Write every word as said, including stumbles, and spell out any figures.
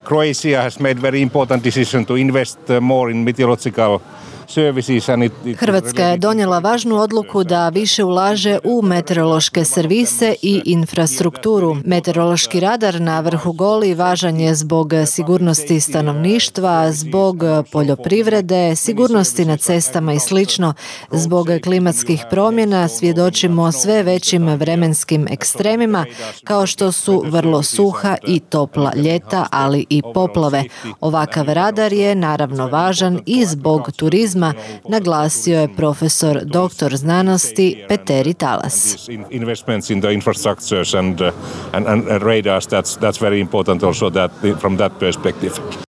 Croatia has made very important decision to invest more in meteorological services and it, it Hrvatska je donijela važnu odluku da više ulaže u meteorološke servise i infrastrukturu. Meteorološki radar na vrhu Goli važan je zbog sigurnosti stanovništva, zbog poljoprivrede, sigurnosti na cestama i slično. Zbog klimatskih promjena svjedočimo sve većim vremenskim ekstremima, kao što su vrlo suha i topla ljeta, ali i poplave. Ovakav radar je naravno važan i zbog turizma, naglasio je profesor doktor znanosti Petteri Talas. Investments in the infrastructures and, uh, and, and radars, that's, that's very important also that, from that perspective.